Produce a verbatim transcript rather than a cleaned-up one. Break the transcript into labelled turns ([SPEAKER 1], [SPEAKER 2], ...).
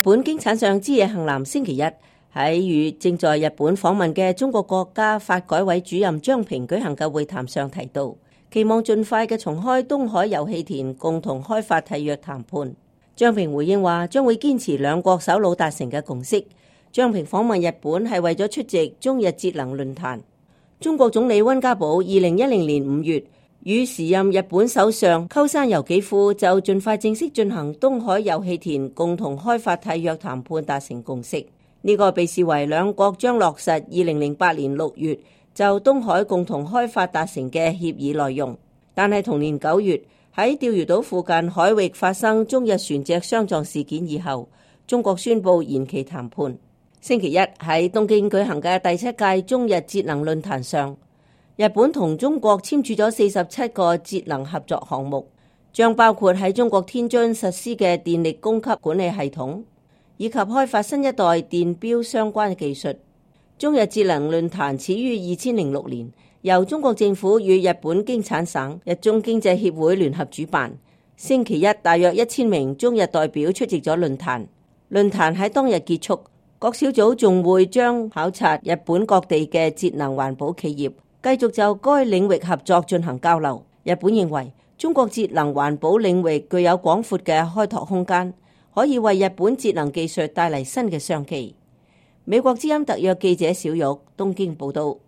[SPEAKER 1] 日本經產相枝野幸男星期一喺與正在日本訪問嘅中國國家發改委主任張平舉行嘅會談上提到，期望盡快嘅重開東海油氣田共同開發締約談判。張平回應話，將會堅持兩國首腦達成嘅共識。張平訪問日本係為咗出席中日節能論壇。中國總理溫家寶二零一零年五月與時任日本首相鳩山由紀夫就盡快正式進行東海油氣田共同開發締約談判達成共識。呢、這個被視為兩國將落實二零零八年六月就東海共同開發達成嘅協議內容。但係同年九月喺釣魚島附近海域發生中日船隻相撞事件以後，中國宣布延期談判。星期一喺東京舉行嘅第七屆中日節能論壇上，日本同中國簽署咗四十七個節能合作項目，將包括喺中國天津實施嘅電力供給管理系統，以及開發新一代電錶相關嘅技術。中日節能論壇始於二千零六年，由中國政府與日本經產省、日中經濟協會聯合主辦。星期一大約一千名中日代表出席咗論壇。論壇喺當日結束，各小組仲會將考察日本各地嘅節能環保企業，繼續就該領域合作進行交流。日本認為中國節能環保領域具有廣闊嘅開拓空間，可以為日本節能技術帶嚟新嘅商機。美國之音特約記者小玉東京報道。